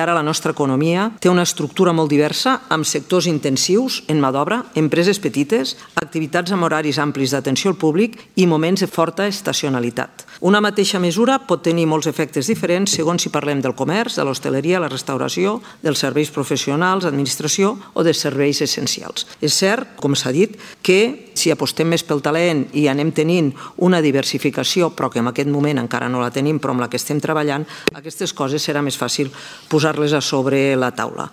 Ara la nostra economia té una estructura molt diversa amb sectors intensius en mà d'obra, empreses petites, activitats amb horaris amplis d'atenció al públic i moments de forta estacionalitat. Una mateixa mesura pot tenir molts efectes diferents segons si parlem del comerç, de l'hostaleria, la restauració, dels serveis professionals, administració o de serveis essencials. És cert, com s'ha dit, que si apostem més pel talent i anem tenint una diversificació, però que en aquest moment encara no la tenim, però amb la que estem treballant, aquestes coses serà més fàcil posar-les a sobre la taula.